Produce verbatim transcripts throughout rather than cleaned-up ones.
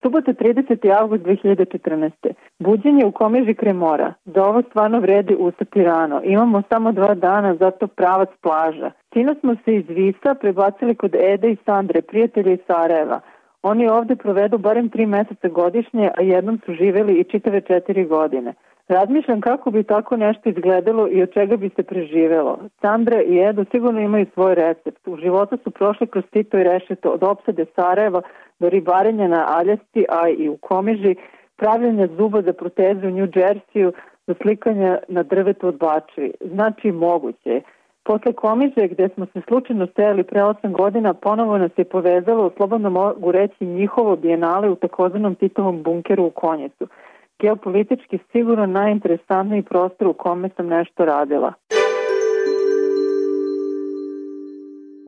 Subota trideseti avgust dve hiljade četrnaeste. Buđenje u Komiži kraj mora. Za ovo stvarno vredi ustati rano. Imamo samo dva dana, zato pravac plaža. Sino smo se iz Visa prebacili kod Ede i Sandre, prijatelja iz Sarajeva. Oni ovde provedu barem tri meseca godišnje, a jednom su živeli i čitave četiri godine. Razmišljam kako bi tako nešto izgledalo i od čega bi se preživelo. Sandra i Edo sigurno imaju svoj recept. U životu su prošli kroz Tito i Rešeto, od opsade Sarajeva do ribarenja na Aljasci, a i u Komiži, pravljenja zuba za proteze u New Jersey, do slikanja na drvetu od bačvi. Znači moguće. Posle Komiže, gde smo se slučajno stajali pre osam godina, ponovo nas je povezalo, slobodno mogu reći, njihovo bijenale u takozvanom Titovom bunkeru u Konjecu. Geopolitički sigurno najinteresantniji prostor u kome sam nešto radila.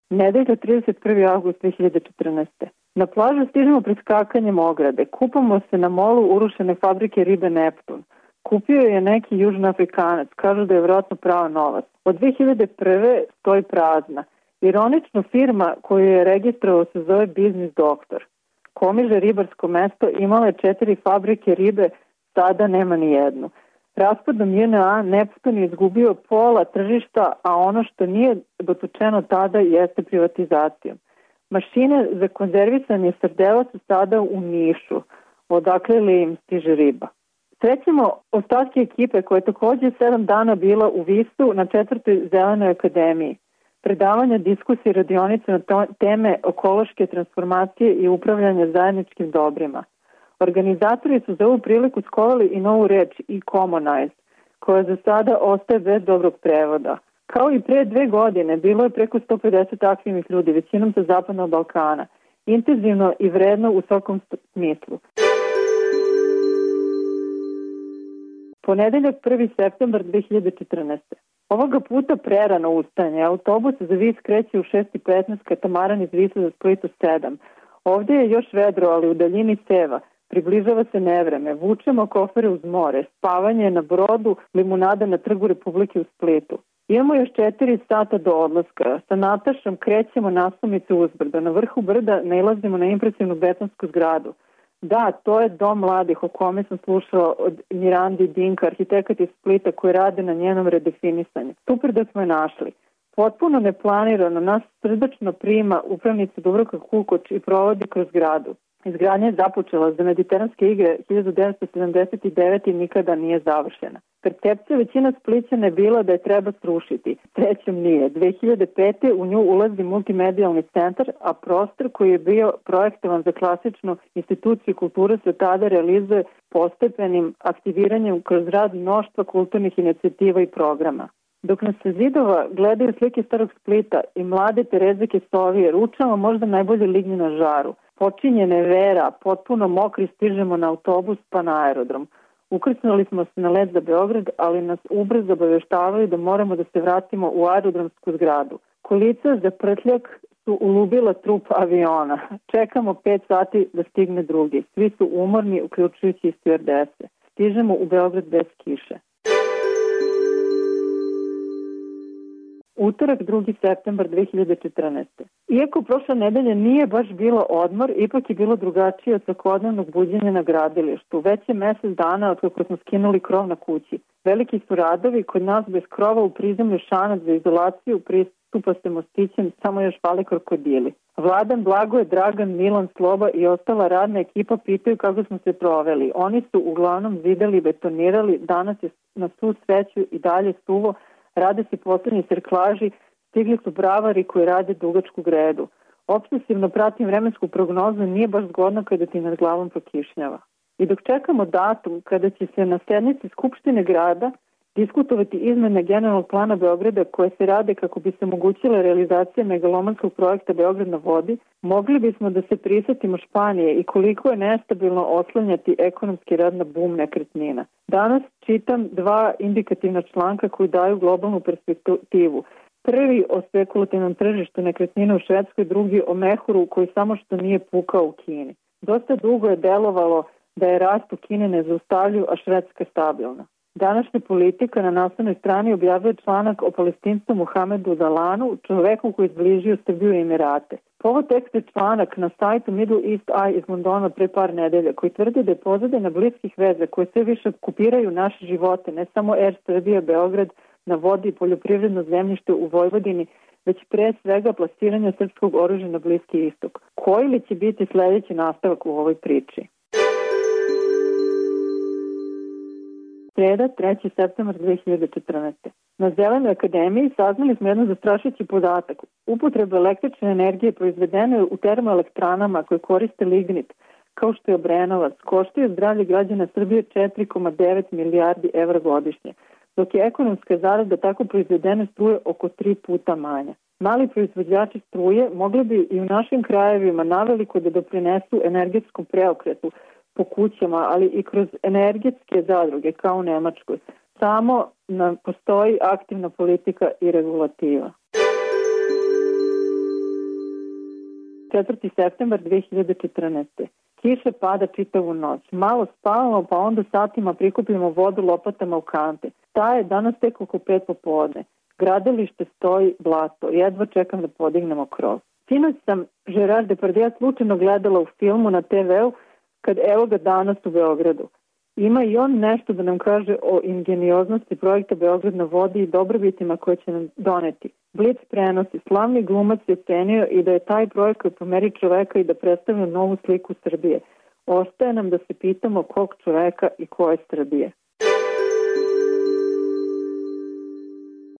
Nedelja trideset prvi avgust dve hiljade četrnaeste. Na plažu stižemo preskakanjem ograde. Kupamo se na molu urušene fabrike ribe Neptun. Kupio je neki južnoafrikanac, kažu da je vjerojatno pravo novac. Od dve hiljade prve stoji prazna. Ironično, firma koju je registrovao se zove Biznis Doktor. Komiže, ribarsko mesto, imala je četiri fabrike ribe, sada nema ni jednu. Raspadom J N A Neptun je izgubio pola tržišta, a ono što nije dotučeno tada jeste privatizacijom. Mašine za konzervisanje srdela su sada u Nišu, odakle li im stiže riba. Srećemo ostatke ekipe koja je takođe sedam dana bila u Visu na četvrtoj Zelenoj akademiji. Predavanja, diskusije, radionice na teme ekološke transformacije i upravljanja zajedničkim dobrima. Organizatori su za ovu priliku skovali i novu reč e-commonize, koja za sada ostaje bez dobrog prevoda. Kao i pre dve godine, bilo je preko sto pedeset aktivnih ljudi, većinom sa Zapadnog Balkana. Intenzivno i vredno u svakom smislu. Ponedeljak prvi septembar dve hiljade četrnaeste. Ovoga puta prerano ustane. Autobus za Vis kreće u šest i petnaest, katamaran iz Visa za Split u sedam. Ovdje je još vedro, ali u daljini seva. Približava se nevreme. Vučemo kofere uz more. Spavanje na brodu, limunada na Trgu Republike u Splitu. Imamo još četiri sata do odlaska. Sa Natašom krećemo naslovnicu uzbrdo. Na vrhu brda nailazimo na impresivnu betonsku zgradu. Da, to je dom mladih o kome sam slušala od Mirandi Dinka, arhitekat iz Splita koji rade na njenom redefinisanju. Super da smo je našli. Potpuno neplanirano nas srdačno prima upravnica Dubravka Kukoč i provodi kroz gradu. Izgradnja je započela za Mediteranske igre hiljadu devetsto sedamdeset devete. i nikada nije završena. Percepcija većina Splićana je bila da je treba srušiti. Srećom nije. dve hiljade pete. u nju ulazi multimedijalni centar, a prostor koji je bio projektovan za klasičnu instituciju kulture se tada realizuje postepenim aktiviranjem kroz rad mnoštva kulturnih inicijativa i programa. Dok nas se zidova gledaju slike starog Splita i mlade Terezike Sovije, ručamo možda najbolje lignje na žaru. Počinjene vera, potpuno mokri, stižemo na autobus pa na aerodrom. Ukrsnuli smo se na let za Beograd, ali nas ubrzo obaveštavaju da moramo da se vratimo u aerodromsku zgradu. Kolica za prtljak su ulubila trup aviona. Čekamo pet sati da stigne drugi. Svi su umorni, uključujući i stjuardese. Stižemo u Beograd bez kiše. Utorak drugi septembar dve hiljade četrnaeste. Iako prošla nedelja nije baš bilo odmor, ipak je bilo drugačije od svakodnevnog buđenja na gradilištu. Već je mesec dana od kako smo skinuli krov na kući. Veliki su radovi, kod nas bez krova u prizemlju šanac za izolaciju, pristupa se mostićem, samo još fali krokodili. Vladan, Blagoje, Dragan, Milan, Sloba i ostala radna ekipa pitaju kako smo se proveli. Oni su uglavnom zidali i betonirali, danas je na svu sreću i dalje suvo. Rade se poslednji serklaži, stigli su bravari koji rade dugačku gredu. Obsesivno pratim vremensku prognozu, nije baš zgodno kada ti nad glavom prokišnjava. I dok čekamo datum kada će se na sednici Skupštine grada diskutovati izmene generalnog plana Beograda koje se rade kako bi se omogućila realizacija megalomanskog projekta Beograd na vodi, mogli bismo da se prisetimo Španije i koliko je nestabilno oslanjati ekonomski rad na bum nekretnina. Danas čitam dva indikativna članka koji daju globalnu perspektivu. Prvi o spekulativnom tržištu nekretnina u Švedskoj, drugi o mehuru koji samo što nije pukao u Kini. Dosta dugo je delovalo da je rast u Kini nezaustavljiv, a Švedska stabilna. Današnja politika na naslovnoj strani objavljuje članak o palestincu Muhamedu Dalanu, čoveku koji je zbližio Srbiju i Emirate. Povod teksta je članak na sajtu Middle East Eye iz Londona pre par nedelja koji tvrdi da je pozadina bliskih veza koje sve više okupiraju naše živote, ne samo Er Srbija Beograd na vodi i poljoprivredno zemljište u Vojvodini, već pre svega plasiranja srpskog oružja na Bliski istok. Koji li će biti sledeći nastavak u ovoj priči? Sreda, treći septembar dve hiljade četrnaeste. Na Zelenoj akademiji saznali smo jedan zastrašujući podatak. Upotreba električne energije proizvedene u termoelektranama koje koriste lignit, kao što je Obrenovac, koštaju zdravlje građana Srbije četiri zarez devet milijardi evra godišnje, dok je ekonomska zarada tako proizvedene struje oko tri puta manja. Mali proizvođači struje mogli bi i u našim krajevima naveliko da doprinesu energetskom preokretu po kućama, ali i kroz energetske zadruge kao u Nemačkoj. Samo nam postoji aktivna politika i regulativa. četvrti septembar dve hiljade četrnaeste. Kiša pada čitavu noć. Malo spavamo, pa onda satima prikupljamo vodu lopatama u kante. Ta je danas tek oko pet popodne. Gradilište stoji blato. Jedva čekam da podignemo krov. Sinoć sam Gerard Depardieu slučajno gledala u filmu na te veu kad evo ga danas u Beogradu. Ima i on nešto da nam kaže o ingenioznosti projekta Beograd na vodi i dobrobitima koje će nam doneti. Blic prenosi, slavni glumac je ocenio i da je taj projekat po meri čoveka i da predstavlja novu sliku Srbije. Ostaje nam da se pitamo kog čoveka i koje Srbije.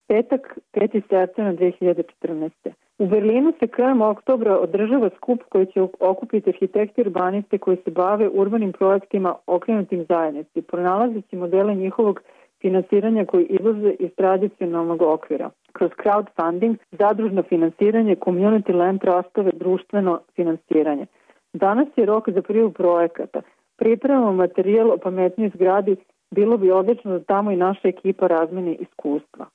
Petak, peti septembar dve hiljade četrnaeste. U Berlinu se krajem oktobra održava skup koji će okupiti arhitekti i urbaniste koji se bave urbanim projektima okrenutim zajednici, pronalazeći modele njihovog finansiranja koji izlaze iz tradicionalnog okvira. Kroz crowdfunding, zadružno finansiranje, community land trustove, društveno finansiranje. Danas je rok za prijavu projekata. Pripremamo materijal o pametnijoj zgradi, bilo bi odlično da tamo i naša ekipa razmeni iskustva.